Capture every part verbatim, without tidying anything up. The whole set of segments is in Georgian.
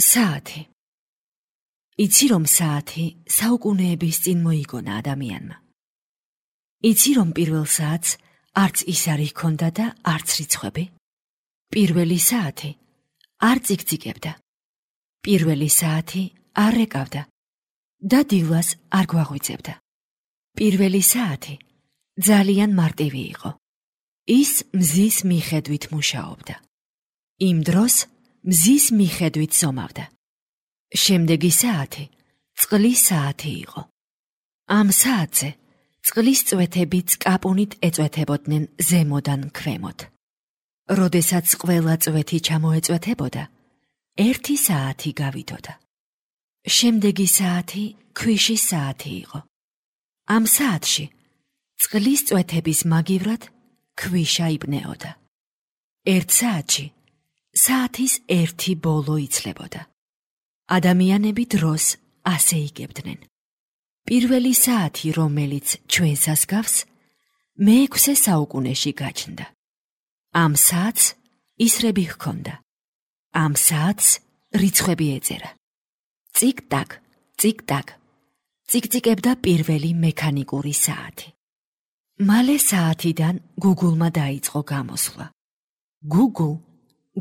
საათი. იცი რომ საათი საუკუნეების წინ მოიგონა ადამიანმა. იცი რომ პირველ საათს არც ისარი ჰქონდა და არც რიცხვები. პირველი საათი არ წიგწიგებდა. პირველი საათი არ ეკავდა და დილას არ გვაღვიძებდა. პირველი საათი ძალიან მარტივი იყო. ის მზის მიხედვით მუშაობდა. იმ დროს მზის მიხედვით ზომავდა. შემდეგი საათი წყლის საათი იყო. ამ საათზე წყლის წვეთები წკაპუნით ეწვეთებოდნენ ზემოდან ქვემოთ. როდესაც ყველა წვეთი ჩამოეწვეთებოდა, ერთი საათი გავიდოდა. შემდეგი საათი ქვიშის საათი იყო. ამ საათში წყლის წვეთების მაგივრად ქვიშა იბნეოდა. ერთ საათში საათის ერთი ბოლო იცლებოდა. ადამიანები დროს ასე იგებდნენ. პირველი საათი, რომელიც ჩვენსას გავს, მეექვსე საუკუნეში გაჩნდა. ამ საათს ისრები ჰქონდა. ამ საათს რიცხვები ეწერა. წიკ-ტაკ, წიკ-ტაკ, წიკწიკებდა პირველი მექანიკური საათი. მალე საათიდან გუგულმა დაიწყო გამოსვლა. გუგუ,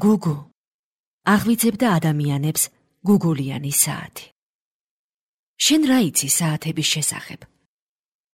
გუგუ, აღვიძებდა ადამიანებს გუგულიანი საათი. შენ რა იცი საათების შესახებ?